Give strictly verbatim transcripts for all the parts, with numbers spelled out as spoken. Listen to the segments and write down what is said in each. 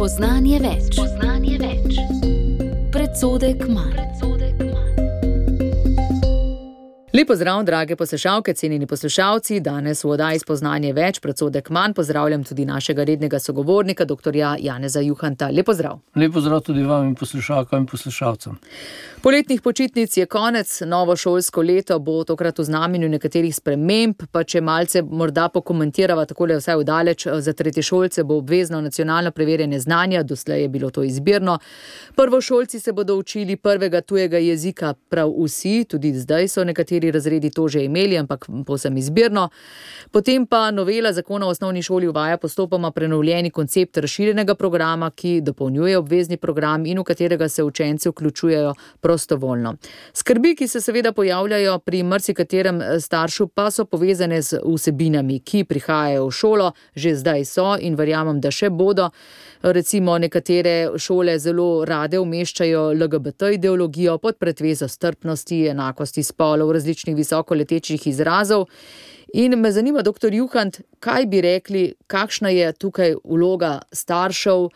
Spoznanje več. Spoznanje več. Predsodek manj. Lep pozdrav, drage poslušalke, cenjeni poslušalci. Danes v oddaji Spoznanje več, predsodek manj pozdravljam tudi našega rednega sogovornika, doktorja Janeza Juhanta. Lep pozdrav. Lep pozdrav tudi vam in poslušalkam in poslušalcem. Poletnih počitnic je konec, novo šolsko leto bo tokrat v znamenju nekaterih sprememb, pa če malce morda pokomentirava takole vsaj vdaleč, za tretješolce bo obvezno nacionalno preverjanje znanja, doslej je bilo to izbirno. Prvošolci se bodo učili prvega tujega jezika prav vsi, tudi zdaj so nekateri razredi to že imeli, ampak povsem izbirno. Potem pa novela zakona o osnovni šoli uvaja postopoma prenovljeni koncept razširjenega programa, ki dopolnjuje obvezni program in v katerega se učenci vključujejo prostovoljno. Skrbi, ki se seveda pojavljajo pri marsikaterem staršu, pa so povezane z vsebinami, ki prihajajo v šolo, že zdaj so in verjamem, da še bodo. Recimo nekatere šole zelo rade umeščajo L G B T ideologijo pod pretvezo strpnosti, enakosti spolov, različnih visokoletečih izrazov. In me zanima, doktor Juhant, kaj bi rekli, kakšna je tukaj vloga staršev,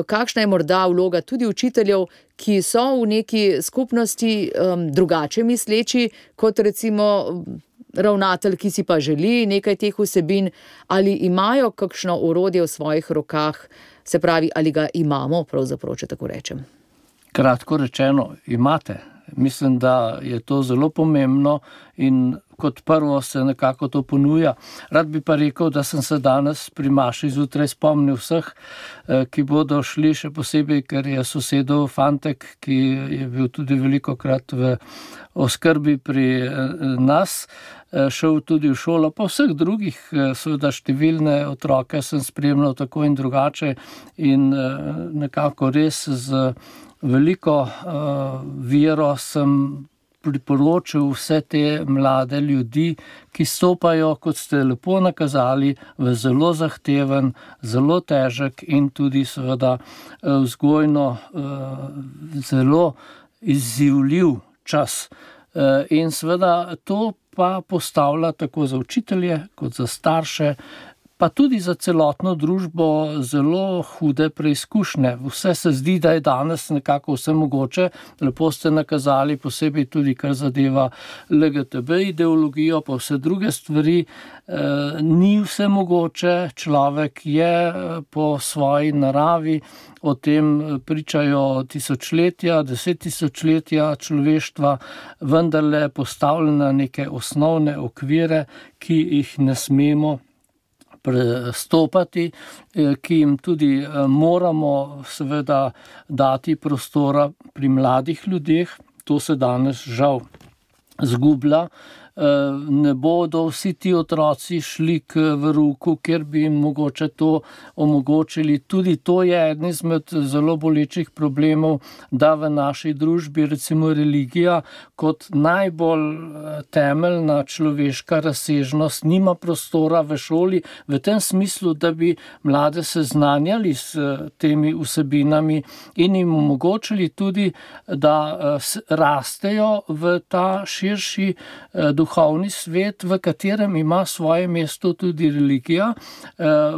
kakšna je morda vloga tudi učiteljev, ki so v neki skupnosti um, drugače misleči, kot recimo ravnatelj, ki si pa želi nekaj teh vsebin, ali imajo kakšno orodje v svojih rokah, se pravi, ali ga imamo, pravzaprav, če tako rečem. Kratko rečeno, imate. Mislim, da je to zelo pomembno in kot prvo se nekako to ponuja. Rad bi pa rekel, da sem se danes pri maši zjutraj spomnil vseh, ki bodo šli, še posebej, ker je sosedov fantek, ki je bil tudi velikokrat v oskrbi pri nas, šel tudi v šolo, pa vseh drugih, seveda številne otroke sem spremljal tako in drugače in nekako res z veliko uh, vero sem priporočil vse te mlade ljudi, ki stopajo, kot ste lepo nakazali, v zelo zahteven, zelo težek in tudi seveda vzgojno uh, zelo izzivljiv čas. Uh, in seveda to pa postavlja tako za učitelje, kot za starše, pa tudi za celotno družbo zelo hude preizkušnje. Vse se zdi, da je danes nekako vse mogoče. Lepo ste nakazali, posebej tudi, kar zadeva L G B T ideologijo, pa vse druge stvari. E, ni vse mogoče, človek je po svoji naravi, o tem pričajo tisočletja, deset tisočletja človeštva, vendarle postavljena neke osnovne okvire, ki jih ne smemo prestopati, ki jim tudi moramo seveda dati prostora pri mladih ljudeh. To se danes žal zgublja. Ne bodo vsi ti otroci šli k verouku, kjer bi jim mogoče to omogočili. Tudi to je eden izmed zelo bolečih problemov, da v naši družbi recimo religija kot najbolj temeljna človeška razsežnost nima prostora v šoli, v tem smislu, da bi mlade seznanjali s temi vsebinami in jim omogočili tudi, da rastejo v ta širši duhovni duhovni svet, v katerem ima svoje mesto tudi religija,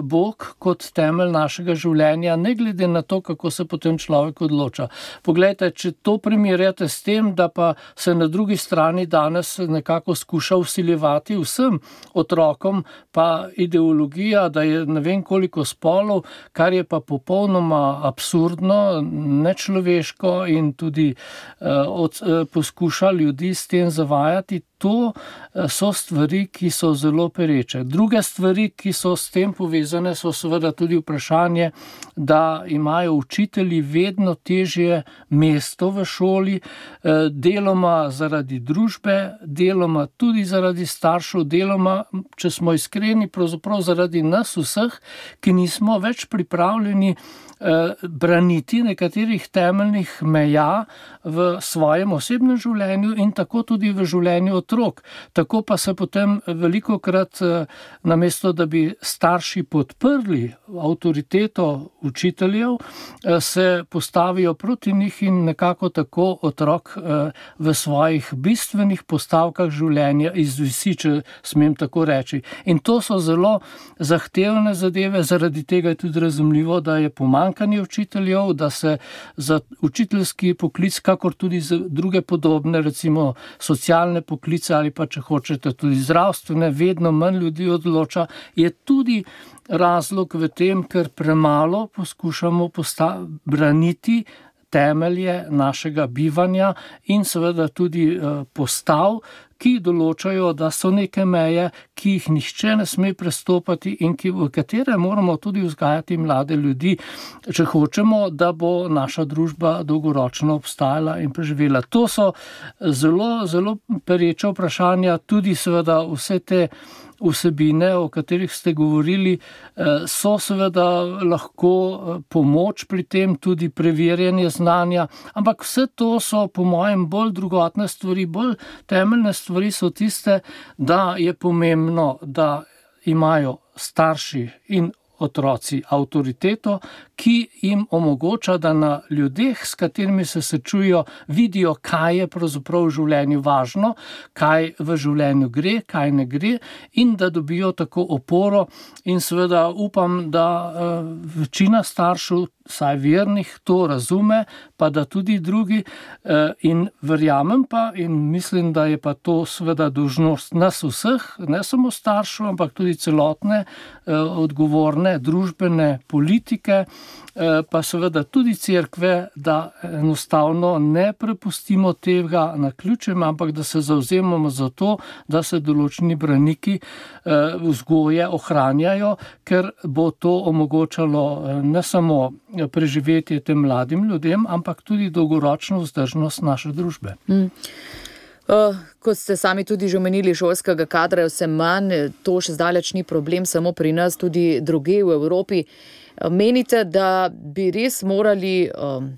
Bog kot temelj našega življenja, ne glede na to, kako se potem človek odloča. Poglejte, če to primerjate s tem, da pa se na drugi strani danes nekako skuša vsiljevati vsem otrokom, pa ideologija, da je ne vem koliko spolov, kar je pa popolnoma absurdno, nečloveško in tudi uh, od, uh, poskuša ljudi s tem zavajati. To so stvari, ki so zelo pereče. Druge stvari, ki so s tem povezane, so seveda tudi vprašanje, da imajo učitelji vedno težje mesto v šoli, deloma zaradi družbe, deloma tudi zaradi staršev, deloma, če smo iskreni, pravzaprav zaradi nas vseh, ki nismo več pripravljeni braniti nekaterih temeljnih meja v svojem osebnem življenju in tako tudi v življenju otrok. Tako pa se potem velikokrat namesto, da bi starši podprli avtoriteto učiteljev, se postavijo proti njih in nekako tako otrok v svojih bistvenih postavkah življenja izvisi, če smem tako reči. In to so zelo zahtevne zadeve, zaradi tega je tudi razumljivo, da je pomanjkanje učiteljev, da se za učiteljski poklic, kakor tudi za druge podobne, recimo socialne poklice ali pa, če hočete, tudi zdravstvene, vedno manj ljudi odloča, je tudi razlog v tem, ker premalo poskušamo posta- braniti temelje našega bivanja in seveda tudi eh, postav, ki določajo, da so neke meje, ki jih nihče ne sme prestopati in ki, v katere moramo tudi vzgajati mlade ljudi, če hočemo, da bo naša družba dolgoročno obstajala in preživela. To so zelo, zelo pereča vprašanja, tudi seveda vse te vsebine, o katerih ste govorili, so seveda lahko pomoč pri tem, tudi preverjanje znanja, ampak vse to so po mojem bolj drugotne stvari, bolj temeljne stvari so tiste, da je pomembno, da imajo starši in otroci avtoriteto, ki jim omogoča, da na ljudeh, s katerimi se srečujejo, vidijo, kaj je pravzaprav v življenju važno, kaj v življenju gre, kaj ne gre in da dobijo tako oporo in seveda upam, da uh, večina staršev, saj vernih, to razume, pa da tudi drugi uh, in verjamem pa in mislim, da je pa to seveda dolžnost nas vseh, ne samo staršev, ampak tudi celotne uh, odgovorne družbene politike, pa seveda tudi cerkve, da enostavno ne prepustimo tega naključjem, ampak da se zavzemamo za to, da se določeni braniki vzgoje ohranjajo, ker bo to omogočalo ne samo preživetje tem mladim ljudem, ampak tudi dolgoročno vzdržnost naše družbe. Mm. Kot ste sami tudi že omenili, šolskega kadra je vse manj, to še zdaleč ni problem samo pri nas, tudi drugje v Evropi. Menite, da bi res morali um,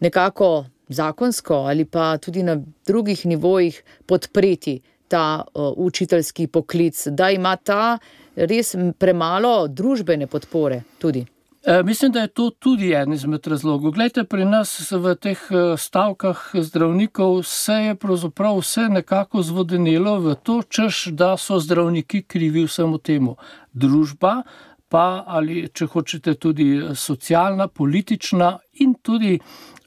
nekako zakonsko ali pa tudi na drugih nivojih podpreti ta uh, učiteljski poklic, da ima ta res premalo družbene podpore tudi? E, mislim, da je to tudi en izmed razlogov. Glejte, pri nas v teh stavkah zdravnikov se je pravzaprav vse nekako zvodenelo v to, češ, da so zdravniki krivi vsemu temu. Družba pa ali, če hočete, tudi socialna, politična in tudi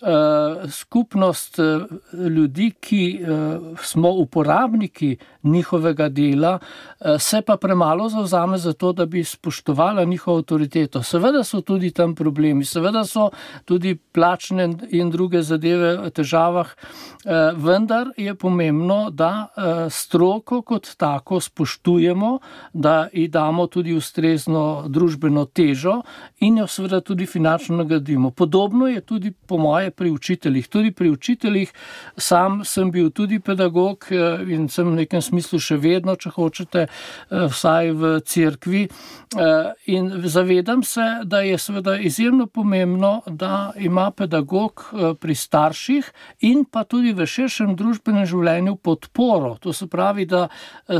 uh, skupnost uh, ljudi, ki uh, smo uporabniki njihovega dela, uh, se pa premalo zavzame za to, da bi spoštovala njihovo avtoriteto. Seveda so tudi tam problemi, seveda so tudi plačne in druge zadeve v težavah, uh, vendar je pomembno, da uh, stroko kot tako spoštujemo, da ji damo tudi ustrezno družbeno težo in jo seveda tudi finančno nagradimo. Podobno je tudi po moje pri učiteljih. Tudi pri učiteljih, sam sem bil tudi pedagog in sem v nekem smislu še vedno, če hočete, vsaj v cerkvi. In zavedam se, da je seveda izjemno pomembno, da ima pedagog pri starših in pa tudi v širšem družbenem življenju podporo. To se pravi, da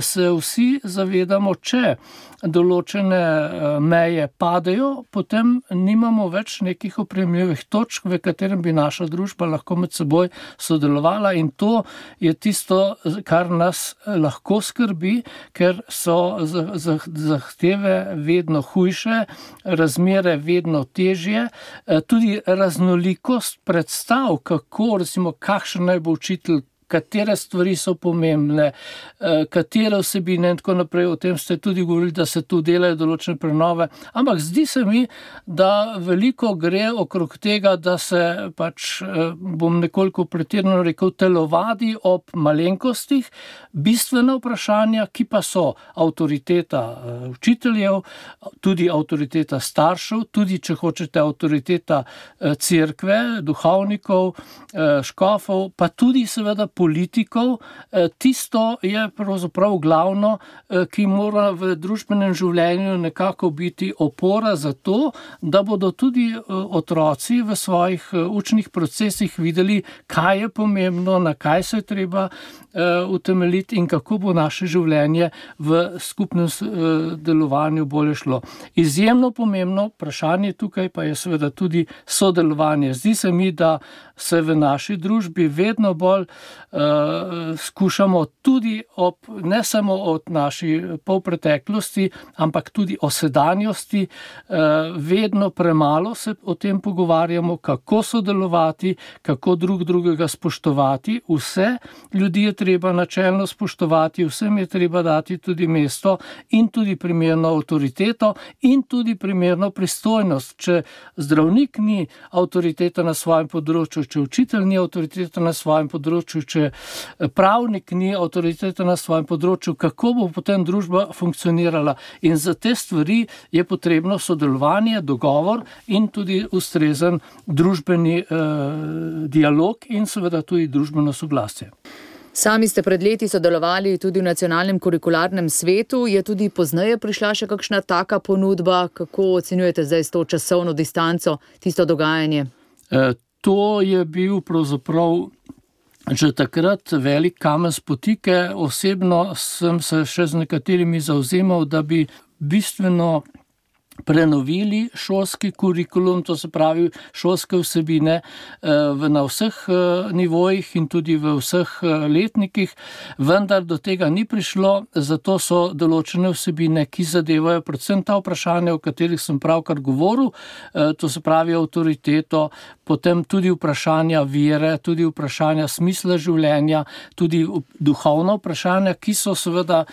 se vsi zavedamo, če določene meje padejo, potem nimamo več nekih opremljivih točk, v katerem bi naša družba lahko med seboj sodelovala in to je tisto, kar nas lahko skrbi, ker so zahteve vedno hujše, razmere vedno težje, tudi raznolikost predstav, kako, recimo, kakšen naj bo učitelj, katere stvari so pomembne, katere vsebine in tako naprej. O tem ste tudi govorili, da se tu delajo določene prenove. Ampak zdi se mi, da veliko gre okrog tega, da se pač, bom nekoliko pretirano rekel, telovadi ob malenkostih, bistvena vprašanja, ki pa so avtoriteta učiteljev, tudi avtoriteta staršev, tudi, če hočete, avtoriteta cerkve, duhovnikov, škofov, pa tudi seveda politikov, tisto je pravzaprav glavno, ki mora v družbenem življenju nekako biti opora za to, da bodo tudi otroci v svojih učnih procesih videli, kaj je pomembno, na kaj se je treba utemeljiti in kako bo naše življenje v skupnem delovanju bolje šlo. Izjemno pomembno vprašanje tukaj pa je seveda tudi sodelovanje. Zdi se mi, da se v naši družbi vedno bolj uh, skušamo tudi ob, ne samo od naši polpreteklosti, ampak tudi o sedanjosti, uh, vedno premalo se o tem pogovarjamo, kako sodelovati, kako drug drugega spoštovati. Vse ljudi je treba načelno spoštovati, vsem je treba dati tudi mesto in tudi primerno avtoriteto in tudi primerno pristojnost. Če zdravnik ni avtoriteta na svojem področju, če učitelj ni avtoriteta na svojem področju, če pravnik ni avtoriteta na svojem področju, kako bo potem družba funkcionirala? In za te stvari je potrebno sodelovanje, dogovor in tudi ustrezen družbeni eh, dialog in seveda tudi družbeno soglasje. Sami ste pred leti sodelovali tudi v nacionalnem kurikularnem svetu. Je tudi pozneje prišla še kakšna taka ponudba? Kako ocenjujete zdaj s to časovno distanco tisto dogajanje? E, to je bil pravzaprav že takrat velik kamen spotike. Osebno sem se še z nekaterimi zavzemal, da bi bistveno prenovili šolski kurikulum, to se pravi šolske vsebine na vseh nivojih in tudi v vseh letnikih, vendar do tega ni prišlo, zato so določene vsebine, ki zadevajo predvsem ta vprašanja, o katerih sem pravkar govoril, to se pravi avtoriteto, potem tudi vprašanja vere, tudi vprašanja smisla življenja, tudi duhovna vprašanja, ki so seveda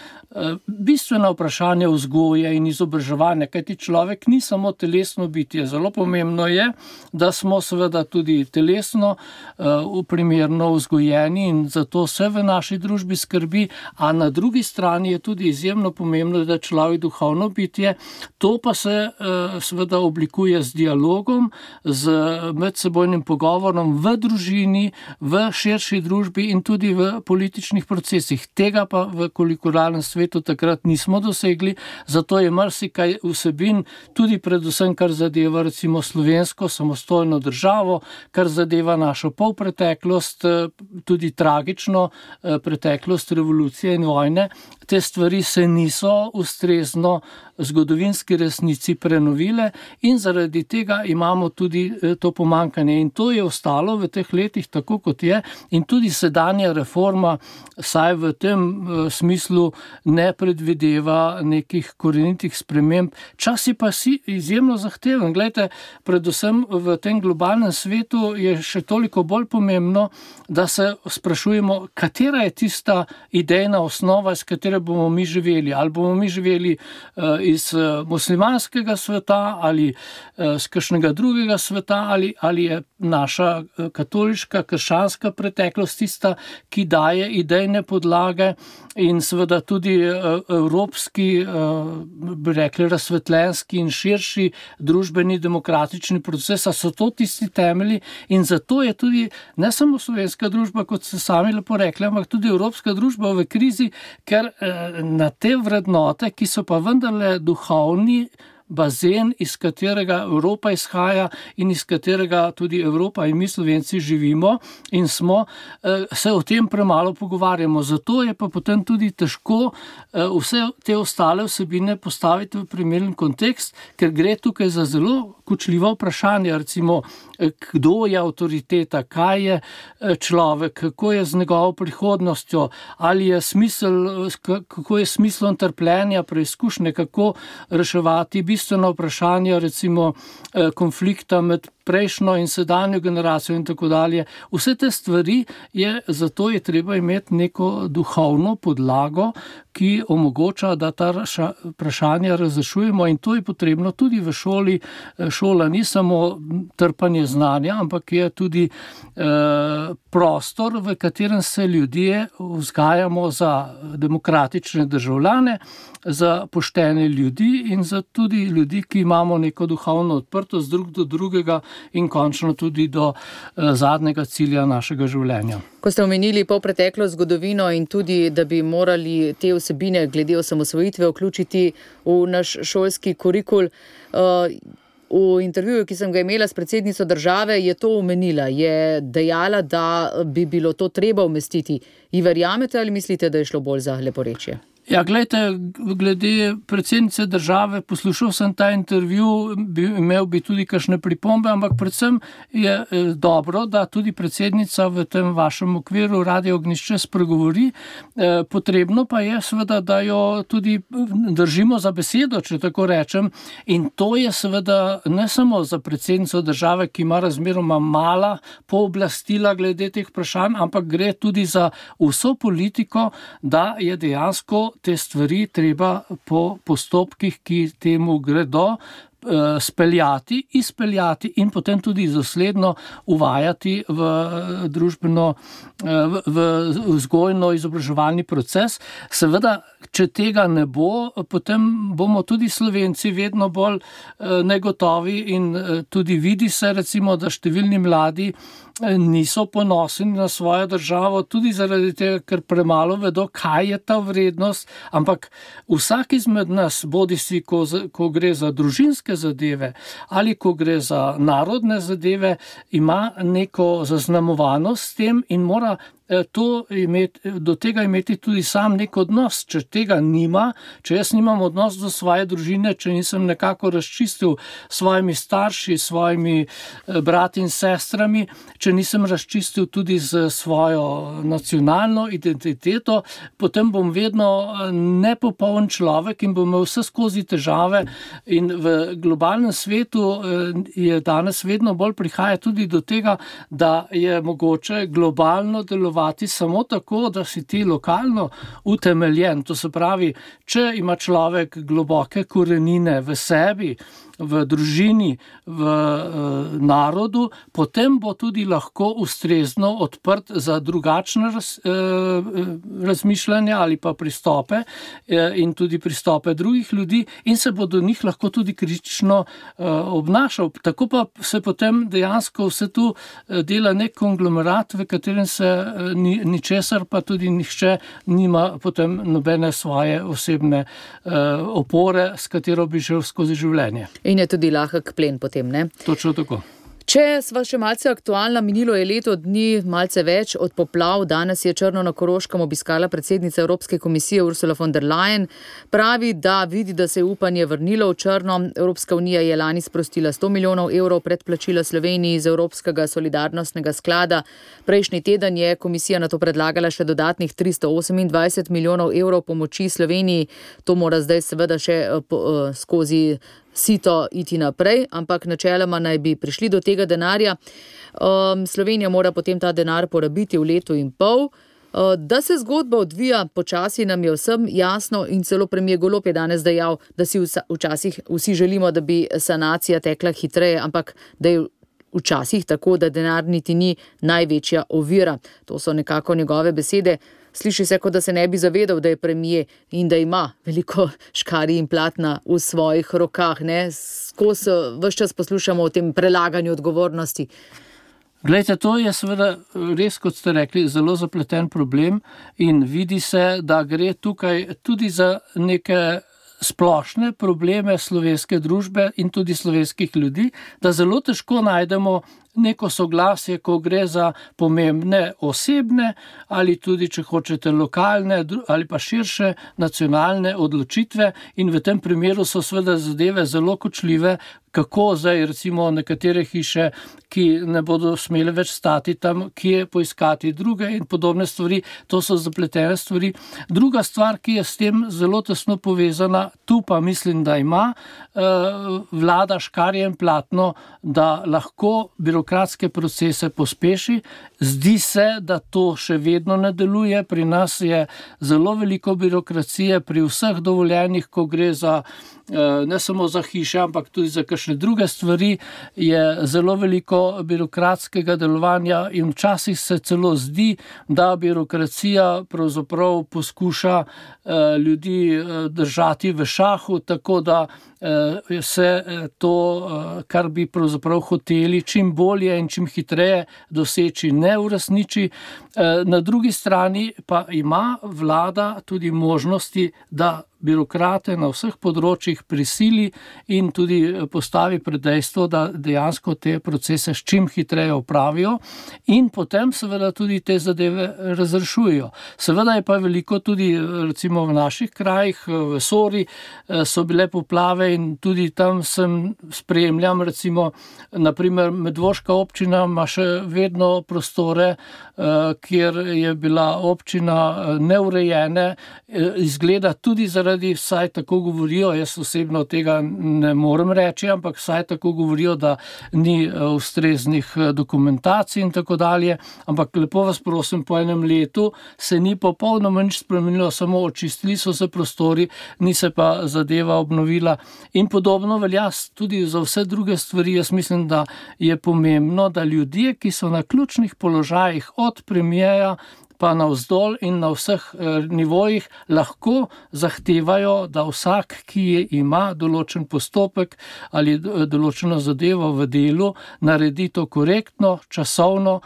bistvena vprašanja vzgoje in izobraževanja, kajti človek ni samo telesno bitje. Zelo pomembno je, da smo seveda tudi telesno uh, primerno vzgojeni in zato se v naši družbi skrbi, a na drugi strani je tudi izjemno pomembno, da je človek duhovno bitje. To pa se uh, seveda oblikuje z dialogom, z medsebojnim pogovorom v družini, v širši družbi in tudi v političnih procesih. Tega pa v kurikularnem svetu takrat nismo dosegli, zato je marsikaj vsebin, tudi predvsem, kar zadeva recimo slovensko samostojno državo, kar zadeva našo polpreteklost, tudi tragično preteklost revolucije in vojne. Te stvari se niso ustrezno zgodovinski resnici prenovile in zaradi tega imamo tudi to pomankanje. In to je ostalo v teh letih tako, kot je, in tudi sedanja reforma, saj v tem smislu ne predvideva nekih korenitih sprememb. Čas je pa si izjemno zahteven. Glejte, predvsem v tem globalnem svetu je še toliko bolj pomembno, da se sprašujemo, katera je tista idejna osnova, iz katere bomo mi živeli. Ali bomo mi živeli uh, iz uh, muslimanskega sveta ali uh, z kakšnega drugega sveta, ali, ali je naša uh, katoliška, krščanska preteklost tista, ki daje idejne podlage in seveda tudi uh, evropski, uh, bi rekli, razsvetljenski in širši družbeni demokratični proces, a so to tisti temelji in zato je tudi ne samo slovenska družba, kot ste sami lepo rekli, ampak tudi evropska družba v krizi, ker uh, na te vrednote, ki so pa vendarle duhovni bazen, iz katerega Evropa izhaja in iz katerega tudi Evropa in mi Slovenci živimo in smo, se o tem premalo pogovarjamo. Zato je pa potem tudi težko vse te ostale vsebine postaviti v primeren kontekst, ker gre tukaj za zelo kočljiva vprašanja, recimo, kdo je avtoriteta, kaj je človek, kako je z njegovo prihodnostjo, ali je smisel, kako je smislom trpljenja, preizkušnje, kako reševati bistveno vprašanje, recimo konflikta med prejšnjo in sedanjo generacijo in tako dalje. Vse te stvari je, zato je treba imeti neko duhovno podlago, ki omogoča, da ta vprašanja razrešujemo in to je potrebno tudi v šoli. Šola ni samo trpanje znanja, ampak je tudi eh, prostor, v katerem se ljudje vzgajamo za demokratične državljane, za poštene ljudi in za tudi ljudi, ki imamo neko duhovno odprtost drug do drugega in končno tudi do zadnjega cilja našega življenja. Ko ste omenili polpreteklo zgodovino in tudi, da bi morali te vsebine glede osamosvojitve vključiti v naš šolski kurikul, v intervjuju, ki sem ga imela s predsednico države, je to omenila, je dejala, da bi bilo to treba umestiti. Ji verjamete ali mislite, da je šlo bolj za leporečje? Ja, glejte, glede predsednice države, poslušal sem ta intervju, bi, imel bi tudi kakšne pripombe, ampak predvsem je eh, dobro, da tudi predsednica v tem vašem okviru Radio Ognjišče spregovori. Eh, potrebno pa je seveda, da jo tudi držimo za besedo, če tako rečem, in to je seveda ne samo za predsednico države, ki ima razmeroma mala pooblastila glede teh vprašanj, ampak gre tudi za vso politiko, da je dejansko te stvari treba po postopkih, ki temu gredo, speljati, izpeljati in potem tudi dosledno uvajati v družbeno, v, v vzgojno-izobraževalni proces. Seveda, če tega ne bo, potem bomo tudi Slovenci vedno bolj negotovi in tudi vidi se recimo, da številni mladi niso ponosni na svojo državo, tudi zaradi tega, ker premalo vedo, kaj je ta vrednost, ampak vsak izmed nas, bodisi ko, ko gre za družinske zadeve ali ko gre za narodne zadeve, ima neko zaznamovanost s tem in mora to imeti, do tega imeti tudi sam nek odnos. Če tega nima, če jaz nimam odnos do svoje družine, če nisem nekako razčistil s svojimi starši, s svojimi brati in sestrami, če nisem razčistil tudi z svojo nacionalno identiteto, potem bom vedno nepopoln človek in bom imel vse skozi težave in v globalnem svetu je danes vedno bolj prihaja tudi do tega, da je mogoče globalno delovati samo tako, da si ti lokalno utemeljen. To se pravi, če ima človek globoke korenine v sebi, v družini, v uh, narodu, potem bo tudi lahko ustrezno odprt za drugačne raz, uh, razmišljanja ali pa pristope uh, in tudi pristope drugih ljudi in se bo do njih lahko tudi kritično uh, obnašal. Tako pa se potem dejansko vse tu uh, dela nek konglomerat, v katerem se uh, ni, ničesar pa tudi nihče nima potem nobene svoje osebne uh, opore, s katero bi šel skozi življenje. In je tudi lahek plen potem, ne? Točno tako. Če sva še malce aktualna, minilo je leto dni, malce več od poplav. Danes je Črno na Koroškem obiskala predsednica Evropske komisije Ursula von der Leyen. Pravi, da vidi, da se je upanje vrnilo v Črno. Evropska unija je lani sprostila sto milijonov evrov predplačila Sloveniji iz Evropskega solidarnostnega sklada. Prejšnji teden je komisija na to predlagala še dodatnih tristo osemindvajset milijonov evrov pomoči Sloveniji. To mora zdaj seveda še po, skozi sito iti naprej, ampak načeloma naj bi prišli do tega denarja. Um, Slovenija mora potem ta denar porabiti v letu in pol. Uh, da se zgodba odvija počasi, nam je vsem jasno in celo premier Golob je danes dejal, da si vsa, včasih vsi želimo, da bi sanacija tekla hitreje, ampak da je včasih tako, da denar niti ni največja ovira. To so nekako njegove besede. Sliši se, kot da se ne bi zavedal, da je premier in da ima veliko škarij in platna v svojih rokah. Ne? Skozi ves čas poslušamo o tem prelaganju odgovornosti. Glejte, to je seveda res, kot ste rekli, zelo zapleten problem in vidi se, da gre tukaj tudi za neke splošne probleme slovenske družbe in tudi slovenskih ljudi, da zelo težko najdemo neko soglasje, ko gre za pomembne osebne ali tudi, če hočete, lokalne ali pa širše nacionalne odločitve in v tem primeru so seveda zadeve zelo kočljive, kako zdaj recimo nekatere hiše, ki ne bodo smele več stati tam, kje poiskati druge in podobne stvari, to so zapletene stvari. Druga stvar, ki je s tem zelo tesno povezana, tu pa mislim, da ima vlada škarje in platno, da lahko birokratično birokratske procese pospeši. Zdi se, da to še vedno ne deluje. Pri nas je zelo veliko birokracije pri vseh dovoljenjih, ko gre za ne samo za hiše, ampak tudi za kakšne druge stvari, je zelo veliko birokratskega delovanja in včasih se celo zdi, da birokracija pravzaprav poskuša ljudi držati v šahu, tako da se to, kar bi pravzaprav hoteli čim bolje in čim hitreje doseči, ne uresniči. Na drugi strani pa ima vlada tudi možnosti, da birokrate na vseh področjih prisili in tudi postavi pred dejstvo, da dejansko te procese s čim hitreje opravijo in potem seveda tudi te zadeve razrešujejo. Seveda je pa veliko tudi, recimo v naših krajih, v Sori so bile poplave in tudi tam sem spremljam, recimo, naprimer Medvoška občina ima še vedno prostore, kjer je bila občina neurejene, izgleda tudi zaradi, vsaj tako govorijo, jaz osebno tega ne morem reči, ampak vsaj tako govorijo, da ni ustreznih dokumentacij in tako dalje, ampak lepo vas prosim, po enem letu se ni popolnoma nič spremenilo, samo očistili so se prostori, ni se pa zadeva obnovila in podobno velja tudi za vse druge stvari. Jaz mislim, da je pomembno, da ljudje, ki so na ključnih položajih od premierja pa navzdol in na vseh nivojih lahko zahtevajo, da vsak, ki ima določen postopek ali določeno zadevo v delu, naredi to korektno, časovno,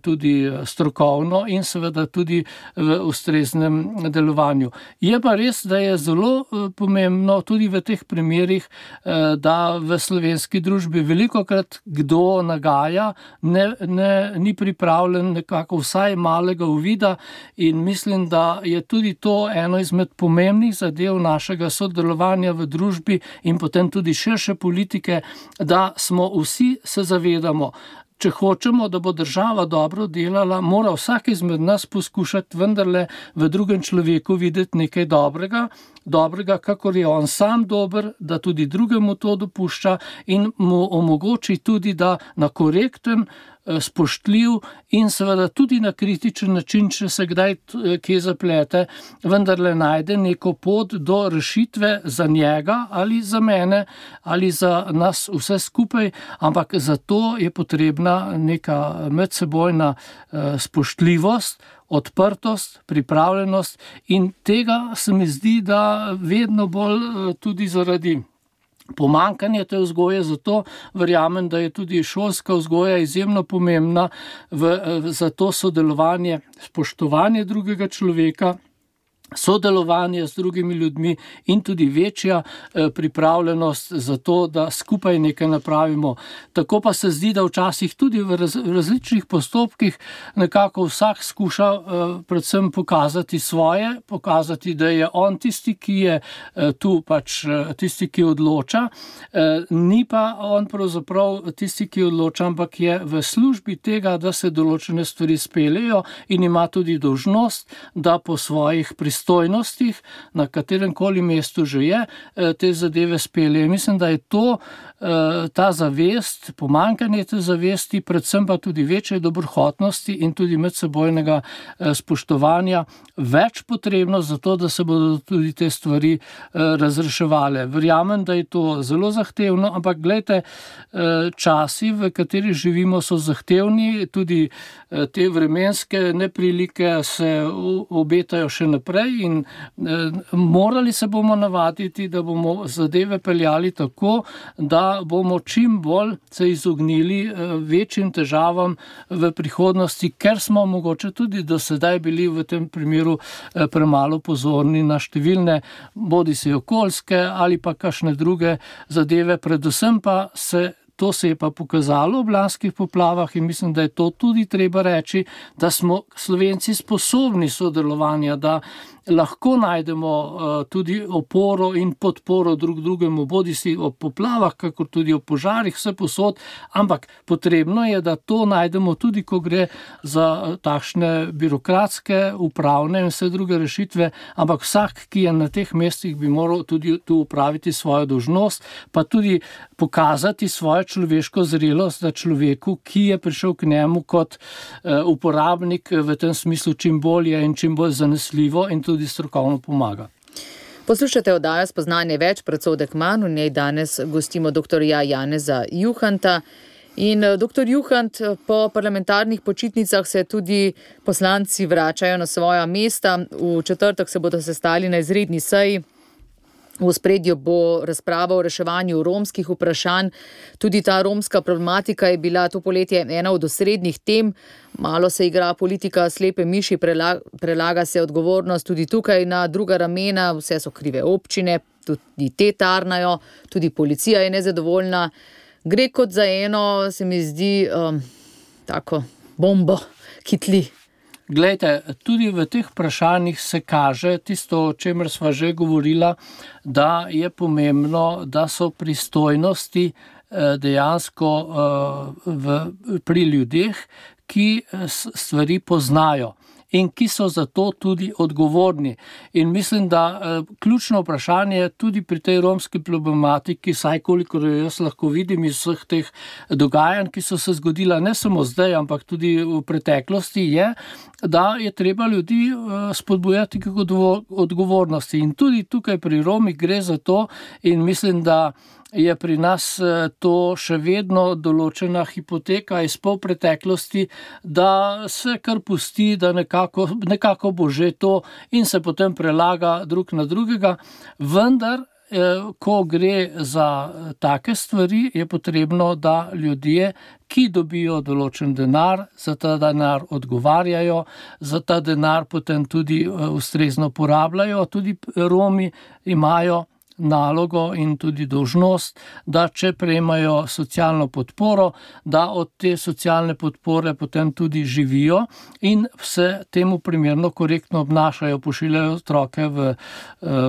tudi strokovno in seveda tudi v ustreznem delovanju. Je pa res, da je zelo pomembno tudi v teh primerih, da v slovenski družbi velikokrat kdo nagaja, ne, ne, ni pripravljen nekako vsaj malega uvida in mislim, da je tudi to eno izmed pomembnih zadev našega sodelovanja v družbi in potem tudi širše politike, da smo vsi se zavedamo, če hočemo, da bo država dobro delala, mora vsak izmed nas poskušati vendarle v drugem človeku videti nekaj dobrega, dobrega, kakor je on sam dober, da tudi drugemu to dopušča in mu omogoči tudi, da na korekten, spoštljiv in seveda tudi na kritičen način, če se kdaj kje zaplete, vendarle najde neko pot do rešitve za njega ali za mene ali za nas vse skupaj, ampak za to je potrebna neka medsebojna spoštljivost, odprtost, pripravljenost in tega se mi zdi, da vedno bolj tudi zaradi pomanjkanje te vzgoje, zato verjamem, da je tudi šolska vzgoja izjemno pomembna v, za to sodelovanje, spoštovanje drugega človeka, sodelovanje z drugimi ljudmi in tudi večja pripravljenost za to, da skupaj nekaj napravimo. Tako pa se zdi, da včasih tudi v, raz, v različnih postopkih nekako vsak skuša predvsem pokazati svoje, pokazati, da je on tisti, ki je tu pač tisti, ki odloča, ni pa on pravzaprav tisti, ki odloča, ampak je v službi tega, da se določene stvari speljejo in ima tudi dolžnost, da po svojih pristojnostih stojnostih, na katerem koli mestu že je, te zadeve spelje. Mislim, da je to, ta zavest, pomanjkanje te zavesti, predvsem pa tudi večje dobrohotnosti in tudi medsebojnega spoštovanja več potrebno za to, da se bodo tudi te stvari razreševale. Verjamem, da je to zelo zahtevno, ampak glejte, časi, v katerih živimo, so zahtevni, tudi te vremenske neprilike se obetajo še naprej in morali se bomo navaditi, da bomo zadeve peljali tako, da bomo čim bolj se izognili večjim težavam v prihodnosti, ker smo mogoče tudi do sedaj bili v tem primeru premalo pozorni na številne, bodisi okoljske ali pa kakšne druge zadeve, predvsem pa se To se je pa pokazalo v lanskih poplavah in mislim, da je to tudi treba reči, da smo Slovenci sposobni sodelovanja, da lahko najdemo tudi oporo in podporo drug drugemu, bodi si o poplavah, kakor tudi o požarih, vse posod, ampak potrebno je, da to najdemo tudi, ko gre za takšne birokratske, upravne in vse druge rešitve, ampak vsak, ki je na teh mestih, bi moral tudi tu upraviti svojo dolžnost, pa tudi pokazati svojo človeško zrelost, da človeku, ki je prišel k njemu kot uporabnik, v tem smislu čim bolje in čim bolj zanesljivo in tudi strokovno pomaga. Poslušate oddajo Spoznanje več, predsodek manj, v njej danes gostimo doktorja Janeza Juhanta. In doktor Juhant, po parlamentarnih počitnicah se tudi poslanci vračajo na svoja mesta. V četrtek se bodo sestali na izredni seji. V ospredju bo razprava o reševanju romskih vprašanj. Tudi ta romska problematika je bila to poletje ena od osrednjih tem. Malo se igra politika slepe miši, prelaga se odgovornost tudi tukaj na druga ramena, vse so krive občine, tudi te tarnajo, tudi policija je nezadovoljna. Gre kot za eno, se mi zdi, um, tako bombo, ki tli. Glejte, tudi v teh vprašanjih se kaže tisto, o čemer sva že govorila, da je pomembno, da so pristojnosti dejansko v, pri ljudeh, ki stvari poznajo in ki so za to tudi odgovorni. In mislim, da eh, ključno vprašanje tudi pri tej romski problematiki, saj kolikor jaz lahko vidim iz vseh teh dogajanj, ki so se zgodila ne samo zdaj, ampak tudi v preteklosti, je, da je treba ljudi eh, spodbujati k odgovornosti. In tudi tukaj pri Romih gre za to in mislim, da je pri nas to še vedno določena hipoteka iz pol preteklosti, da se kar pusti, da nekako, nekako bo že to in se potem prelaga drug na drugega, vendar ko gre za take stvari, je potrebno, da ljudje, ki dobijo določen denar, za ta denar odgovarjajo, za ta denar potem tudi ustrezno porabljajo. Tudi Romi imajo nalogo in tudi dolžnost, da če prejemajo socialno podporo, da od te socialne podpore potem tudi živijo in se temu primerno korektno obnašajo, pošiljajo otroke v,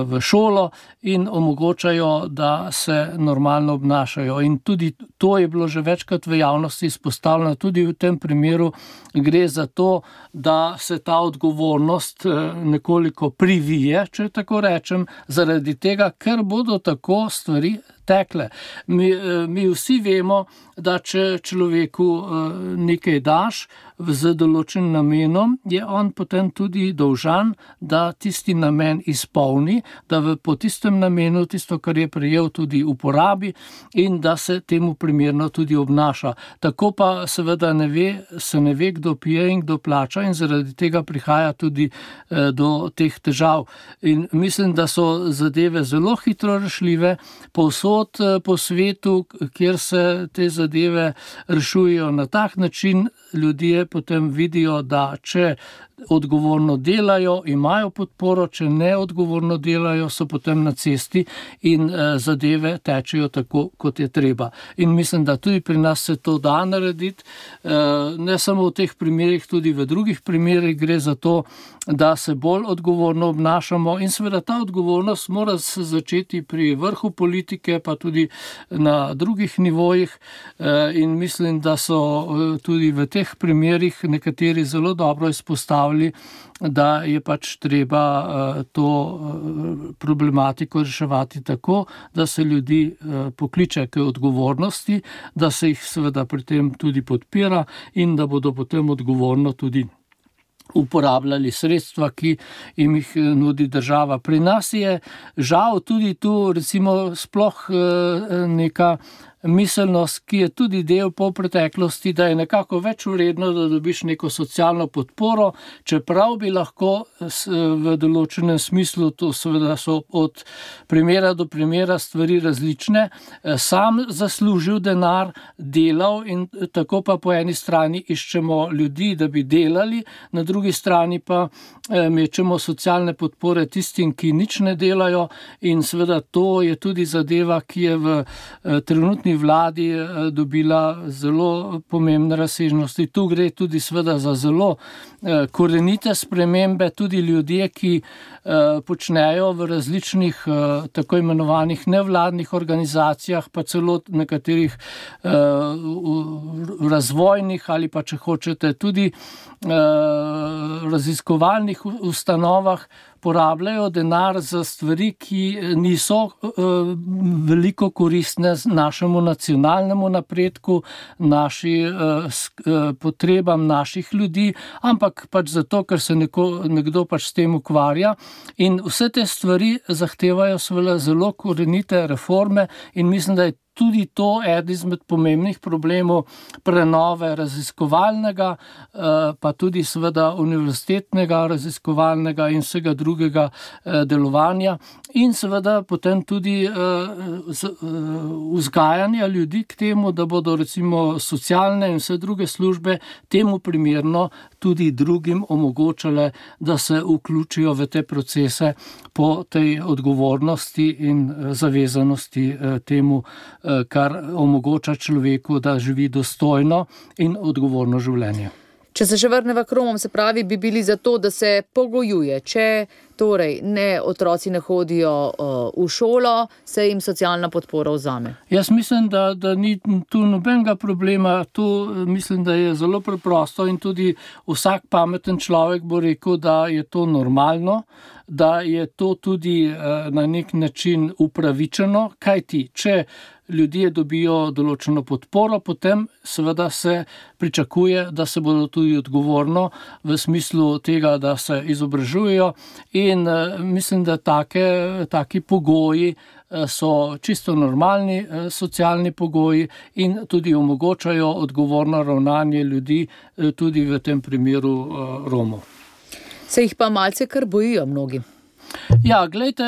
v šolo in omogočajo, da se normalno obnašajo. In tudi to je bilo že večkrat v javnosti izpostavljeno, tudi v tem primeru gre za to, da se ta odgovornost nekoliko privije, če tako rečem, zaradi tega, ker bodo tako stvari tekle. Mi, mi vsi vemo, da če človeku nekaj daš z določenim namenom, je on potem tudi dolžan, da tisti namen izpolni, da v, po tistem namenu tisto, kar je prejel, tudi uporabi in da se temu primerno tudi obnaša. Tako pa seveda ne ve, se ne ve, kdo pije in kdo plača in zaradi tega prihaja tudi eh, do teh težav. In mislim, da so zadeve zelo hitro rešljive, povsod po svetu, kjer se te zadeve rešujejo na tak način, ljudje potem vidijo, da če odgovorno delajo, imajo podporo, če ne odgovorno delajo, so potem na cesti in eh, zadeve tečejo tako, kot je treba. In mislim, da tudi pri nas se to da narediti, eh, ne samo v teh primerih, tudi v drugih primerih gre za to, da se bolj odgovorno obnašamo in seveda ta odgovornost mora se začeti pri vrhu politike, pa tudi na drugih nivojih eh, in mislim, da so eh, tudi v teh primerih nekateri zelo dobro izpostavili, da je pač treba to problematiko reševati tako, da se ljudi pokliče k odgovornosti, da se jih seveda pri tem tudi podpira in da bodo potem odgovorno tudi uporabljali sredstva, ki jim jih nudi država. Pri nas je žal tudi tu recimo sploh neka miselnost, ki je tudi del polpreteklosti, da je nekako več vredno, da dobiš neko socialno podporo, čeprav bi lahko v določenem smislu, to seveda so od primera do primera stvari različne, sam zaslužil denar, delal in tako pa po eni strani iščemo ljudi, da bi delali, na drugi strani pa mečemo socialne podpore tistim, ki nič ne delajo in seveda to je tudi zadeva, ki je v trenutni trenutni vladi dobila zelo pomembne razsežnosti. Tu gre tudi seveda za zelo korenite spremembe, tudi ljudje, ki počnejo v različnih tako imenovanih nevladnih organizacijah, pa celo nekaterih razvojnih ali pa, če hočete, tudi raziskovalnih ustanovah porabljajo denar za stvari, ki niso veliko koristne našemu nacionalnemu napredku, naši potrebam naših ljudi, ampak pač zato, ker se neko, nekdo pač s tem ukvarja. In vse te stvari zahtevajo seveda zelo korenite reforme in mislim, da je tudi to eden izmed pomembnih problemov prenove raziskovalnega, pa tudi seveda univerzitetnega raziskovalnega in vsega drugega delovanja in seveda potem tudi vzgajanja ljudi k temu, da bodo recimo socialne in vse druge službe temu primerno tudi drugim omogočale, da se vključijo v te procese po tej odgovornosti in zavezanosti temu, kar omogoča človeku, da živi dostojno in odgovorno življenje. Če se še vrneva k Romom, se pravi, bi bili za to, da se pogojuje. Če torej ne otroci ne hodijo uh, v šolo, se jim socialna podpora vzame. Jaz mislim, da, da ni tu nobenega problema. Tu mislim, da je zelo preprosto in tudi vsak pameten človek bo rekel, da je to normalno, da je to tudi uh, na nek način upravičeno, kajti če ljudje dobijo določeno podporo, potem seveda se pričakuje, da se bodo tudi odgovorno v smislu tega, da se izobražujejo in mislim, da take, taki pogoji so čisto normalni socialni pogoji in tudi omogočajo odgovorno ravnanje ljudi tudi v tem primeru Romov. Se jih pa malce kar bojijo mnogi. Ja, glejte,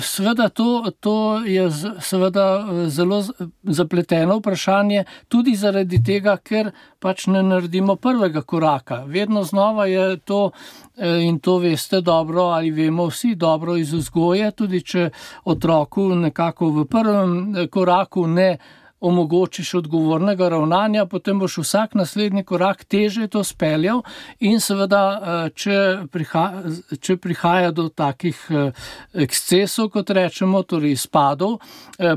seveda to, to je seveda zelo zapleteno vprašanje, tudi zaradi tega, ker pač ne naredimo prvega koraka. Vedno znova je to, in to veste dobro, ali vemo vsi dobro iz vzgoje, tudi če otroku nekako v prvem koraku ne omogočiš odgovornega ravnanja, potem boš vsak naslednji korak teže to speljal in seveda, če prihaja, če prihaja do takih ekscesov, kot rečemo, torej izpadov,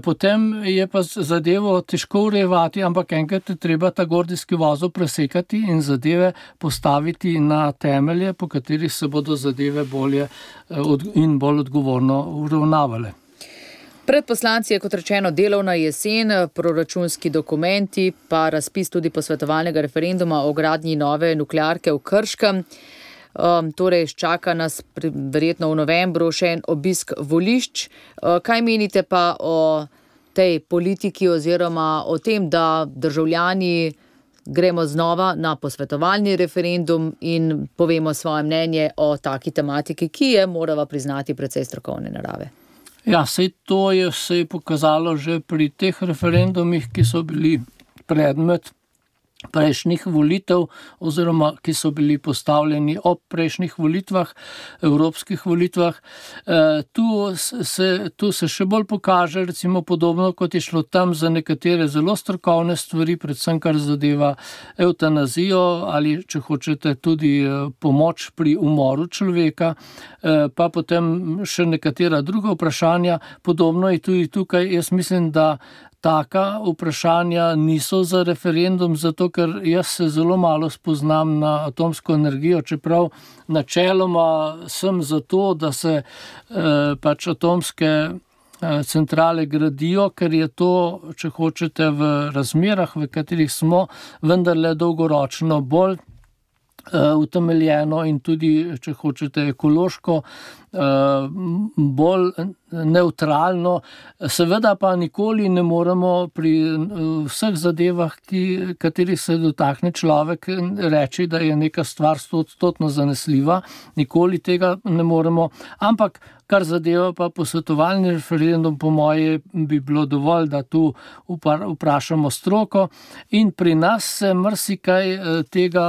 potem je pa zadevo težko urejevati, ampak enkrat je treba ta gordijski vozel presekati in zadeve postaviti na temelje, po katerih se bodo zadeve bolje in bolj odgovorno uravnavale. Pred poslanci je, kot rečeno, delovna jesen, proračunski dokumenti, pa razpis tudi posvetovalnega referenduma o gradnji nove nuklearke v Krškem. Um, torej, čaka nas pri, verjetno v novembru še en obisk volišč. Uh, kaj menite pa o tej politiki oziroma o tem, da državljani gremo znova na posvetovalni referendum in povemo svoje mnenje o taki tematiki, ki je, morava priznati, precej strokovne narave? Ja, sej to je se je pokazalo že pri teh referendumih, ki so bili predmet prejšnjih volitev oziroma ki so bili postavljeni ob prejšnjih volitvah, evropskih volitvah. E, tu, se, tu se še bolj pokaže, recimo podobno, kot je šlo tam za nekatere zelo strokovne stvari, predvsem kar zadeva evtanazijo ali, če hočete, tudi pomoč pri umoru človeka, e, pa potem še nekatera druga vprašanja. Podobno je tudi tukaj. Jaz mislim, da taka vprašanja niso za referendum, zato ker jaz se zelo malo spoznam na atomsko energijo, čeprav načeloma sem za to, da se eh, pač atomske eh, centrale gradijo, ker je to, če hočete, v razmerah, v katerih smo, vendarle dolgoročno bolj eh, utemeljeno in tudi, če hočete, ekološko bolj neutralno. Seveda pa nikoli ne moremo pri vseh zadevah, ki, katerih se dotakne človek, reči, da je neka stvar stoodstotno zanesljiva. Nikoli tega ne moremo. Ampak kar zadeva pa posvetovalni referendum, po moje bi bilo dovolj, da tu vprašamo stroko in pri nas se marsikaj tega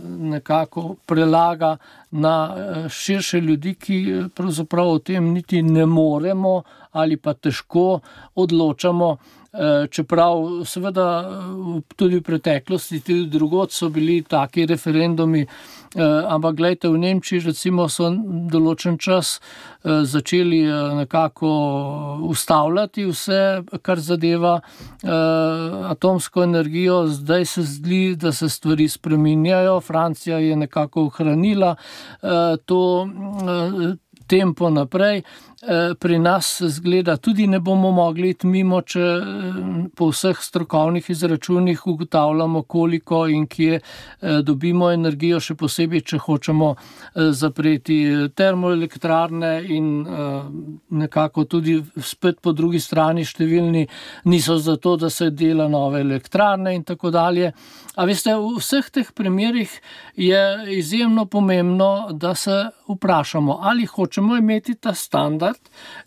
nekako prelaga na širše ljudi, ki pravzaprav o tem niti ne moremo ali pa težko odločamo. čeprav seveda tudi v preteklosti, tudi drugod so bili taki referendumi, ampak gledajte, v Nemčiji recimo so določen čas začeli nekako ustavljati vse, kar zadeva atomsko energijo, zdaj se zdi, da se stvari spreminjajo, Francija je nekako ohranila to tempo naprej. Pri nas zgleda tudi ne bomo mogli iti mimo, če po vseh strokovnih izračunih ugotavljamo, koliko in kje dobimo energijo, še posebej, če hočemo zapreti termoelektrarne in nekako tudi spet po drugi strani številni niso za to, da se dela nove elektrarne in tako dalje. A veste, v vseh teh primerih je izjemno pomembno, da se vprašamo, ali hočemo imeti ta standard,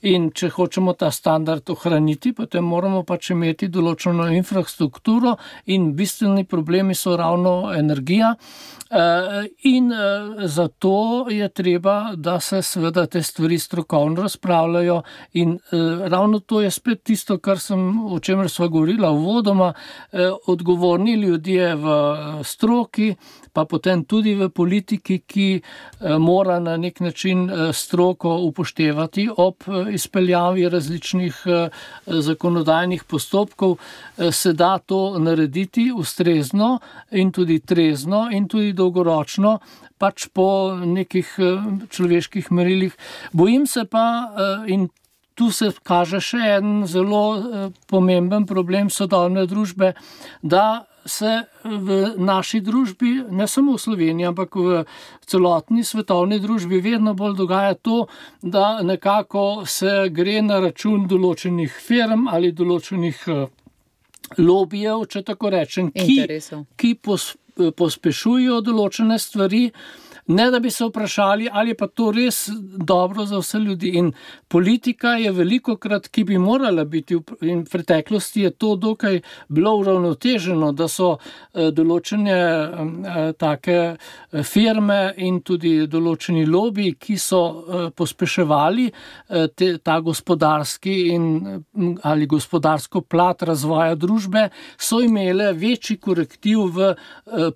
in če hočemo ta standard ohraniti, potem moramo pač imeti določeno infrastrukturo in bistveni problemi so ravno energija. In zato je treba, da se seveda te stvari strokovno razpravljajo in ravno to je spet tisto, kar sem, o čemer sva govorila uvodoma, odgovorni ljudje v stroki, pa potem tudi v politiki, ki mora na nek način stroko upoštevati ob izpeljavi različnih zakonodajnih postopkov, se da to narediti ustrezno in tudi trezno in tudi dolgoročno, pač po nekih človeških merilih. Bojim se pa, in tu se kaže še en zelo pomemben problem sodobne družbe, da se v naši družbi, ne samo v Sloveniji, ampak v celotni svetovni družbi vedno bolj dogaja to, da nekako se gre na račun določenih firm ali določenih lobijev, če tako rečem, ki, ki pos, pospešujejo določene stvari, ne da bi se vprašali, ali je pa to res dobro za vse ljudi. In politika je velikokrat, ki bi morala biti, in v preteklosti je to dokaj bilo uravnoteženo, da so določene take firme in tudi določeni lobiji, ki so pospeševali te, ta gospodarski in, ali gospodarsko plat razvoja družbe, so imele večji korektiv v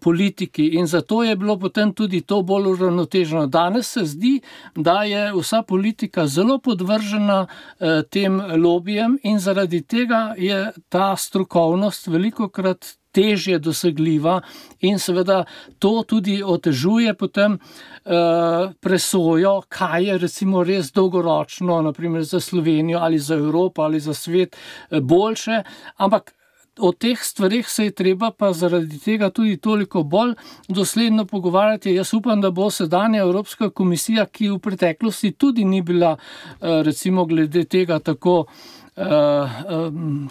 politiki in zato je bilo potem tudi to bolj uravnoteženo. Danes se zdi, da je vsa politika zelo podvržena eh, tem lobijem in zaradi tega je ta strokovnost velikokrat težje dosegljiva in seveda to tudi otežuje potem eh, presojo, kaj je recimo res dolgoročno, naprimer za Slovenijo ali za Evropo ali za svet eh, boljše, ampak o teh stvarih se je treba pa zaradi tega tudi toliko bolj dosledno pogovarjati. Jaz upam, da bo sedanja Evropska komisija, ki v preteklosti tudi ni bila recimo glede tega tako,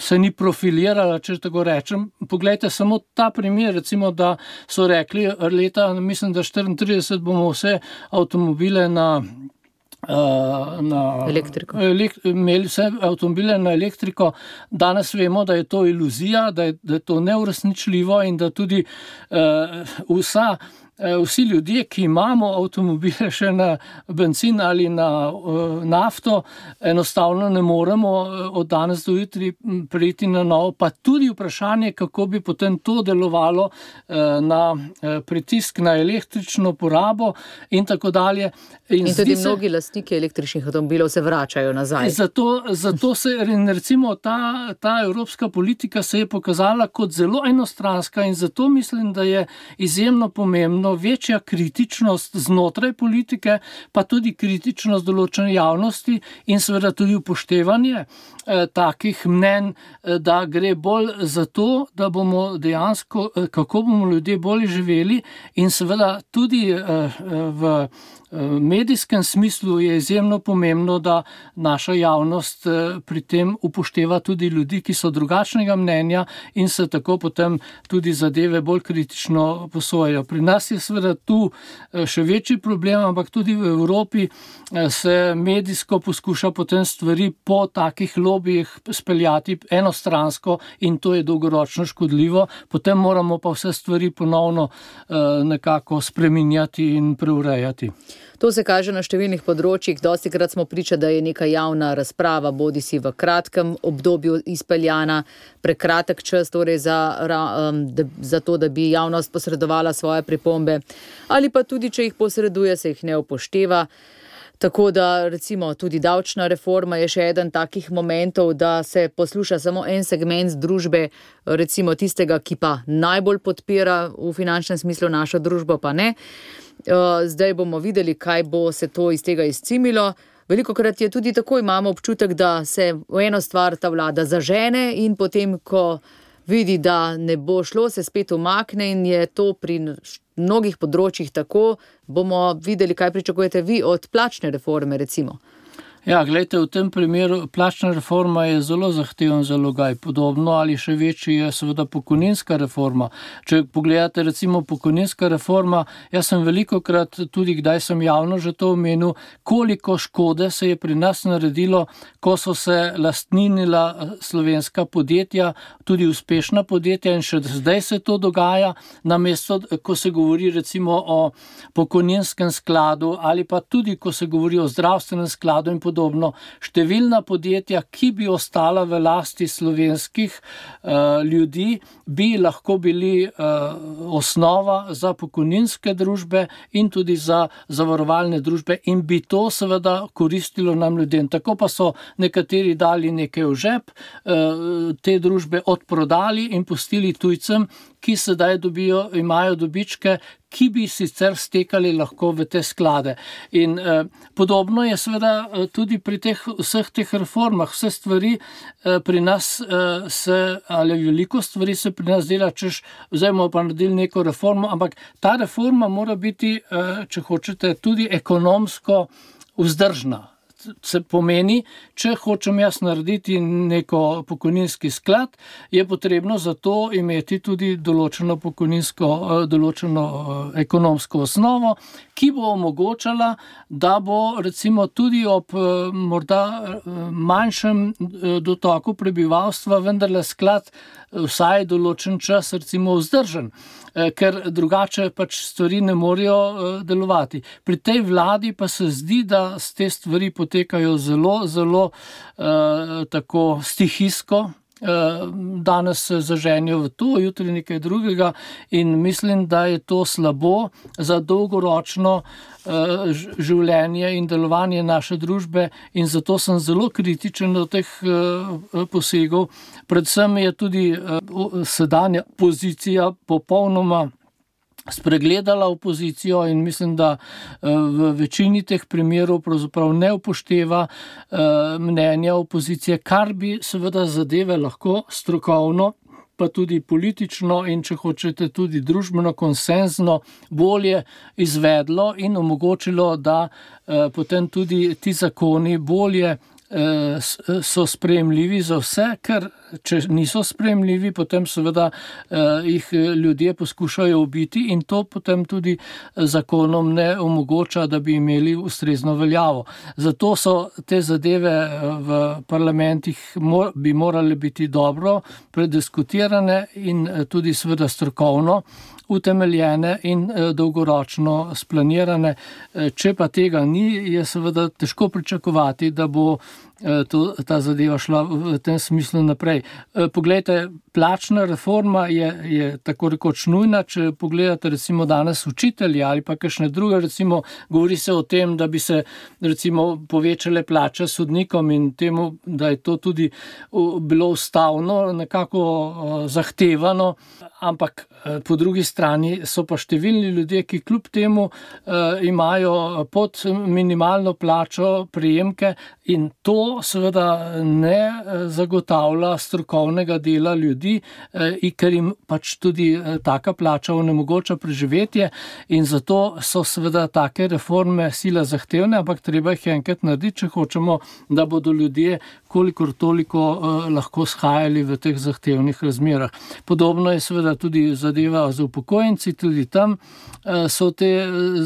se ni profilirala, če tako rečem. Poglejte samo ta primer, recimo, da so rekli leta, mislim, da štiriintrideset bomo vse avtomobile na na elektriko. Elek, imeli vse avtomobile na elektriko. Danes vemo, da je to iluzija, da je, da je to neuresničljivo in da tudi uh, vsa Vsi ljudje, ki imamo avtomobile še na bencin ali na uh, nafto, enostavno ne moremo od danes do jutri prejти na novo, pa tudi vprašanje, kako bi potem to delovalo uh, na uh, pritisk na električno porabo in tako dalje. In, in tudi se, mnogi lastniki električnih avtomobilov se vračajo nazaj. Zato, zato se recimo ta, ta evropska politika se je pokazala kot zelo enostranska in zato mislim, da je izjemno pomembno večja kritičnost znotraj politike, pa tudi kritičnost določene javnosti in seveda tudi upoštevanje eh, takih mnenj, eh, da gre bolj za to, da bomo dejansko, eh, kako bomo ljudje bolje živeli in seveda tudi eh, v medijskem smislu je izjemno pomembno, da naša javnost pri tem upošteva tudi ljudi, ki so drugačnega mnenja in se tako potem tudi zadeve bolj kritično posojajo. Pri nas je je seveda tu še večji problem, ampak tudi v Evropi se medijsko poskuša potem stvari po takih lobijih speljati enostransko in to je dolgoročno škodljivo. Potem moramo pa vse stvari ponovno nekako spreminjati in preurejati. To se kaže na številnih področjih. Dostikrat smo priča, da je neka javna razprava, bodi si v kratkem obdobju izpeljana, prekratek čas, torej za, za to, da bi javnost posredovala svoje pripombe, ali pa tudi, če jih posreduje, se jih ne upošteva. Tako da recimo tudi davčna reforma je še eden takih momentov, da se posluša samo en segment družbe, recimo tistega, ki pa najbolj podpira v finančnem smislu našo družbo, pa ne. Zdaj bomo videli, kaj bo se to iz tega izcimilo. Velikokrat je tudi tako, imamo občutek, da se v eno stvar ta vlada zažene in potem, ko vidi, da ne bo šlo, se spet umakne in je to pri mnogih področjih tako. Bomo videli, kaj pričakujete vi od plačne reforme, recimo. Ja, gledajte, v tem primeru plačna reforma je zelo zahteven zalogaj. Podobno ali še večji je seveda pokojninska reforma. Če pogledate recimo pokojninska reforma, jaz sem velikokrat tudi, kdaj sem javno že to omenil, koliko škode se je pri nas naredilo, ko so se lastninila slovenska podjetja, tudi uspešna podjetja in še zdaj se to dogaja, namesto, ko se govori recimo o pokojninskem skladu ali pa tudi, ko se govori o zdravstvenem skladu in podobno. Podobno. Številna podjetja, ki bi ostala v lasti slovenskih uh, ljudi, bi lahko bili uh, osnova za pokojninske družbe in tudi za zavarovalne družbe in bi to seveda koristilo nam ljudem. Tako pa so nekateri dali nekaj v žep, uh, te družbe odprodali in pustili tujcem, ki sedaj dobijo, imajo dobičke, ki bi sicer stekali lahko v te sklade. In eh, podobno je seveda tudi pri teh, vseh teh reformah. Vse stvari eh, pri nas eh, se, ali veliko stvari se pri nas dela, češ, zdaj bomo pa naredili neko reformo, ampak ta reforma mora biti, eh, če hočete, tudi ekonomsko vzdržna. Se pomeni, če hočem jaz narediti neko pokojninski sklad, je potrebno za to imeti tudi določeno pokojninsko, določeno ekonomsko osnovo, ki bo omogočala, da bo recimo tudi ob morda manjšem dotoku prebivalstva vendarle sklad vsaj določen čas recimo vzdržen, ker drugače pač stvari ne morejo delovati. Pri tej vladi pa se zdi, da te stvari potekajo zelo, zelo eh, tako stihijsko. Danes se zaženijo v to, jutri nekaj drugega in mislim, da je to slabo za dolgoročno življenje in delovanje naše družbe in zato sem zelo kritičen do teh posegov. Predvsem je tudi sedanja pozicija popolnoma spregledala opozicijo in mislim, da v večini teh primerov pravzaprav ne upošteva mnenja opozicije, kar bi seveda zadeve lahko strokovno, pa tudi politično in če hočete tudi družbeno konsenzno bolje izvedlo in omogočilo, da potem tudi ti zakoni bolje so sprejemljivi za vse, ker če niso sprejemljivi, potem seveda eh, jih ljudje poskušajo ubiti in to potem tudi zakonom ne omogoča, da bi imeli ustrezno veljavo. Zato so te zadeve v parlamentih mor, bi morale biti dobro prediskutirane in tudi seveda strokovno utemeljene in dolgoročno splanirane. Če pa tega ni, je seveda težko pričakovati, da bo to, ta zadeva šla v tem smislu naprej. Poglejte, plačna reforma je, je tako rekoč nujna, če pogledate recimo danes učitelji ali pa kakšne druge, recimo govori se o tem, da bi se recimo povečale plače sodnikom in temu, da je to tudi bilo ustavno nekako zahtevano, ampak po drugi strani so pa številni ljudje, ki kljub temu eh, imajo pod minimalno plačo prejemke in to seveda ne zagotavlja strokovnega dela ljudi, eh, ker jim pač tudi eh, taka plača onemogoča preživetje in zato so seveda take reforme sila zahtevne, ampak treba jih enkrat narediti, če hočemo, da bodo ljudje kolikor toliko lahko shajali v teh zahtevnih razmerah. Podobno je seveda tudi zadeva z upokojenci, tudi tam so te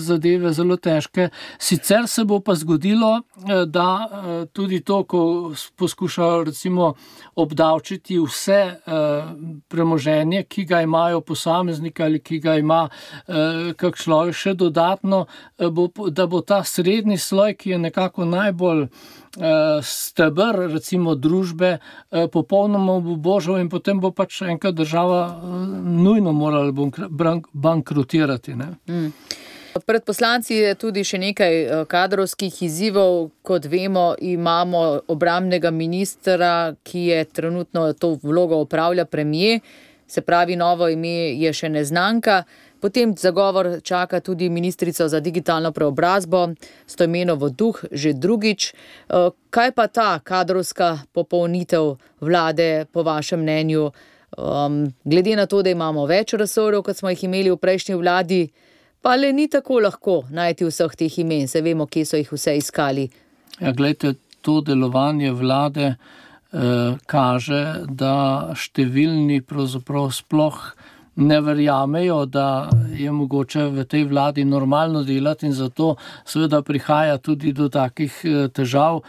zadeve zelo težke. Sicer se bo pa zgodilo, da tudi to, ko poskušajo recimo obdavčiti vse premoženje, ki ga imajo posamezniki ali ki ga ima kak človek še dodatno, bo, da bo ta srednji sloj, ki je nekako najbolj steber recimo družbe, popolnoma obubožal in potem bo pač enkrat država nujno morala bankrotirati. Ne? Mm. Pred poslanci je tudi še nekaj kadrovskih izzivov. Kot vemo, imamo obrambnega ministra, ki je trenutno to vlogo opravlja premier, se pravi, novo ime je še neznanka. Potem zagovor čaka tudi ministrico za digitalno preobrazbo, Stojmenovo Duh, že drugič. Kaj pa ta kadrovska popolnitev vlade po vašem mnenju? Um, glede na to, da imamo več resorjev, kot smo jih imeli v prejšnji vladi, pa le ni tako lahko najti vseh teh imen, se vemo, kje so jih vse iskali. Ja, glejte, to delovanje vlade eh, kaže, da številni pravzaprav sploh ne verjamejo, da je mogoče v tej vladi normalno delati in zato seveda prihaja tudi do takih težav.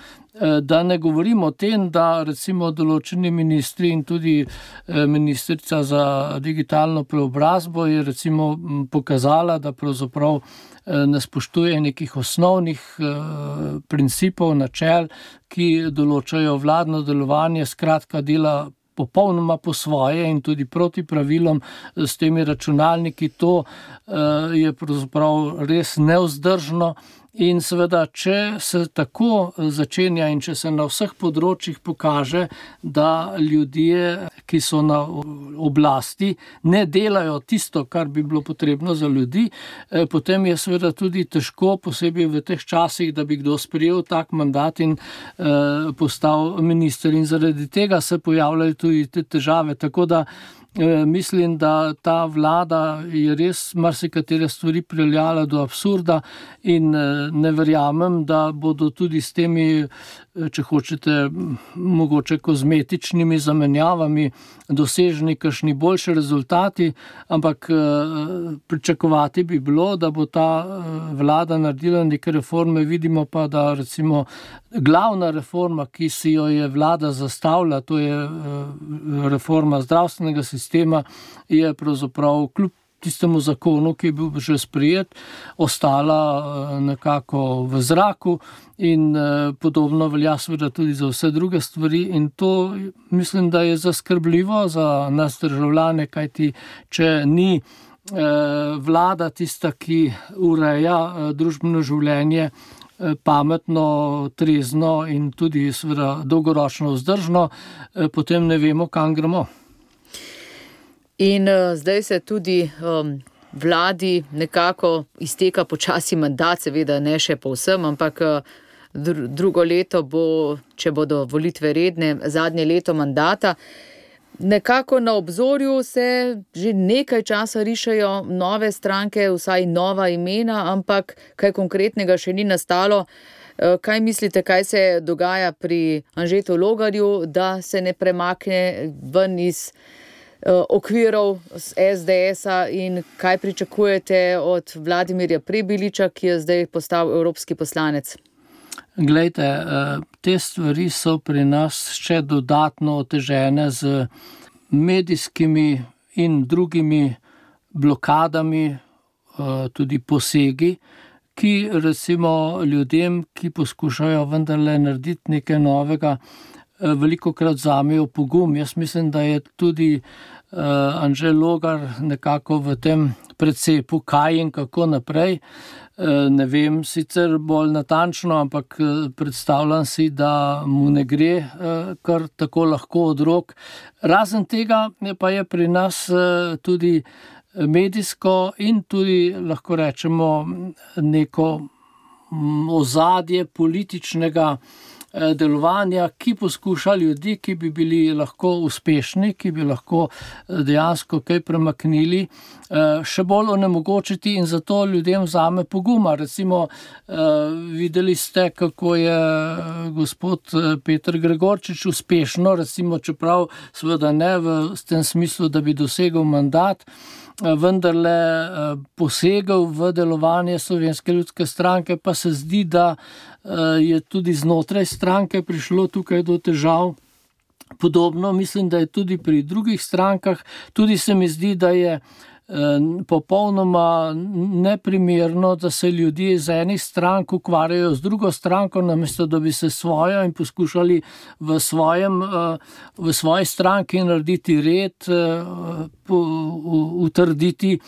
Da ne govorimo o tem, da recimo določeni ministri in tudi ministrica za digitalno preobrazbo je recimo pokazala, da pravzaprav ne spoštuje nekih osnovnih principov, načel, ki določajo vladno delovanje, skratka dela popolnoma po svoje in tudi proti pravilom s temi računalniki. To je pravzaprav res nevzdržno. In seveda, če se tako začenja in če se na vseh področjih pokaže, da ljudje, ki so na oblasti, ne delajo tisto, kar bi bilo potrebno za ljudi, potem je seveda tudi težko, posebej v teh časih, da bi kdo sprejel tak mandat in eh, postal minister. In zaradi tega se pojavljajo tudi te težave. Tako da mislim, da ta vlada je res marsikatere stvari pripeljala do absurda in ne verjamem, da bodo tudi s temi, če hočete, mogoče kozmetičnimi zamenjavami doseženi kakšni boljši rezultati, ampak pričakovati bi bilo, da bo ta vlada naredila neke reforme. Vidimo pa, da recimo glavna reforma, ki si jo je vlada zastavila, to je reforma zdravstvenega sistema, je pravzaprav kljub tistemu zakonu, ki je bil že sprejet, ostala nekako v zraku in podobno velja seveda tudi za vse druge stvari in to mislim, da je zaskrbljivo za nas državljane, kajti če ni vlada tista, ki ureja družbeno življenje pametno, trezno in tudi seveda dolgoročno vzdržno, potem ne vemo, kam gremo. In uh, zdaj se tudi um, vladi nekako izteka počasi mandat, seveda ne še povsem, ampak uh, dr- drugo leto bo, če bodo volitve redne, zadnje leto mandata. Nekako na obzorju se že nekaj časa rišejo nove stranke, vsaj nova imena, ampak kaj konkretnega še ni nastalo. Kaj mislite, kaj se dogaja pri Anžetu Logarju, da se ne premakne ven iz okvirov z es de es-a in kaj pričakujete od Vladimirja Prebiliča, ki je zdaj postal evropski poslanec? Glejte, te stvari so pri nas še dodatno otežene z medijskimi in drugimi blokadami, tudi posegi, ki recimo ljudem, ki poskušajo vendarle narediti nekaj novega, velikokrat vzamejo pogum. Jaz mislim, da je tudi uh, Anže Logar nekako v tem precepu, kaj in kako naprej. Uh, ne vem sicer bolj natančno, ampak uh, predstavljam si, da mu ne gre uh, kar tako lahko od rok. Razen tega pa je pri nas uh, tudi medijsko in tudi, lahko rečemo, neko ozadje političnega delovanja, ki poskuša ljudi, ki bi bili lahko uspešni, ki bi lahko dejansko kaj premaknili, še bolj onemogočiti in zato ljudem vzame poguma. Recimo, videli ste, kako je gospod Peter Gregorčič uspešno, recimo, čeprav seveda ne v tem smislu, da bi dosegel mandat, vendarle posegel v delovanje Slovenske ljudske stranke, pa se zdi, da je tudi znotraj stranke prišlo tukaj do težav. Podobno mislim, da je tudi pri drugih strankah, tudi se mi zdi, da je popolnoma neprimerno, da se ljudje iz enih strank ukvarjajo z drugo stranko, namesto da bi se svojo in poskušali v, svojem, v svoji stranki narediti red, utrditi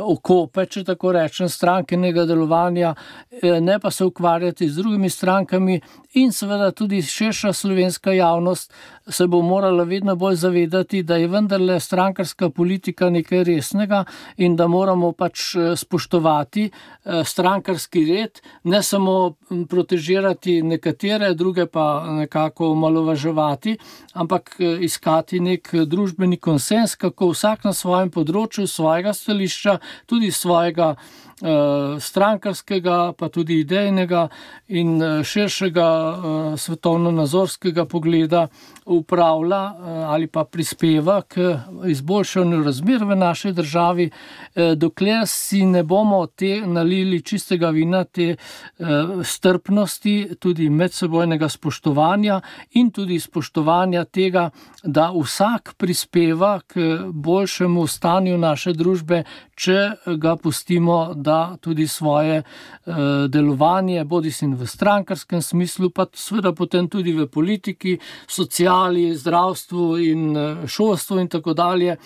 okope, če tako rečem, strankenega delovanja, ne pa se ukvarjati z drugimi strankami in seveda tudi širša slovenska javnost se bo morala vedno bolj zavedati, da je vendarle strankarska politika nekaj resnega in da moramo pač spoštovati strankarski red, ne samo protežirati nekatere, druge pa nekako omalovaževati, ampak iskati nek družbeni konsens, kako vsak na svojem področju svojega stališča, tudi svojega strankarskega, pa tudi idejnega in širšega svetovno-nazorskega pogleda upravlja ali pa prispeva k izboljšanju razmer v naši državi, dokler si ne bomo te nalili čistega vina, te strpnosti, tudi medsebojnega spoštovanja in tudi spoštovanja tega, da vsak prispeva k boljšemu stanju naše družbe, če ga pustimo, da tudi svoje delovanje, bodisi v strankarskem smislu, pa seveda potem tudi v politiki, sociali, zdravstvu in šolstvu in tako dalje,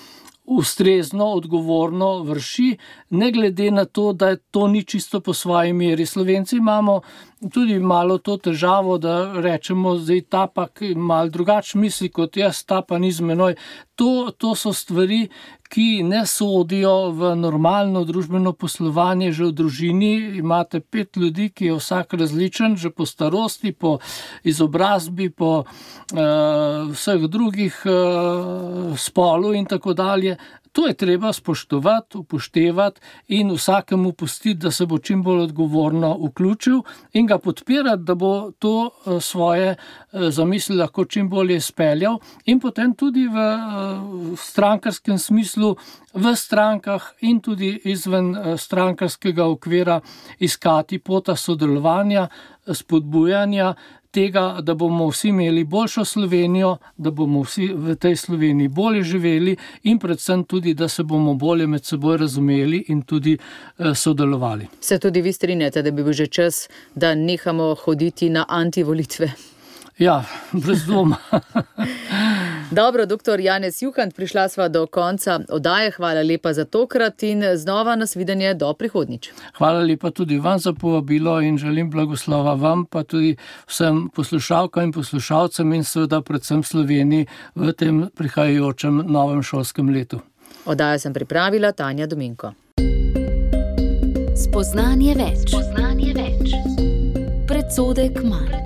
ustrezno, odgovorno vrši, ne glede na to, da to ni čisto po svoji meri. Slovenci imamo tudi malo to težavo, da rečemo, zdaj ta pa malo drugače misli kot jaz, ta pa ni z menoj. To, to so stvari, ki ne sodijo v normalno družbeno poslovanje. Že v družini imate pet ljudi, ki je vsak različen, že po starosti, po izobrazbi, po uh, vseh drugih uh, spolu in tako dalje. To je treba spoštovati, upoštevati in vsakemu pustiti, da se bo čim bolj odgovorno vključil in ga podpirati, da bo to svoje zamisli lahko čim bolje speljal in potem tudi v strankarskem smislu v strankah in tudi izven strankarskega okvira iskati pota sodelovanja, spodbujanja tega, da bomo vsi imeli boljšo Slovenijo, da bomo vsi v tej Sloveniji bolje živeli in predvsem tudi, da se bomo bolje med seboj razumeli in tudi eh, sodelovali. Se tudi vi strinjate, da bi bil že čas, da nehamo hoditi na antivolitve? Ja, brez dvoma. Dobro, doktor Janez Juhant, prišla sva do konca oddaje. Hvala lepa za tokrat in znova nasvidenje do prihodnjič. Hvala lepa tudi vam za povabilo in želim blagoslova vam, pa tudi vsem poslušalkam in poslušalcem in seveda predvsem Sloveniji v tem prihajajočem novem šolskem letu. Oddajo sem pripravila Tanja Dominko. Spoznanje več. Spoznanje več. Predsodek manj.